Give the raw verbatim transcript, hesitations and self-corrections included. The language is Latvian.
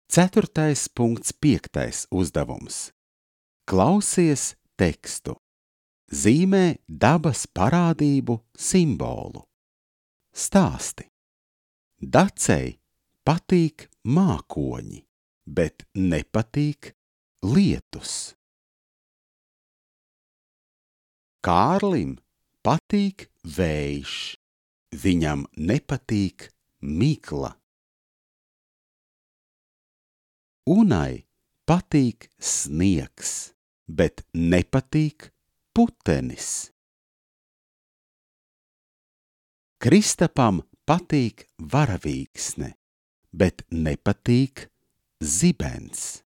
Ceturtais punkts piektais uzdevums. Klausies tekstu. Zīmē dabas parādību simbolu. Stāsti. Dacei patīk mākoņi, bet nepatīk lietus. Kārlim patīk vējš, viņam nepatīk migla. Unai patīk sniegs, bet nepatīk putenis. Kristapam patīk varavīksne, bet nepatīk zibens.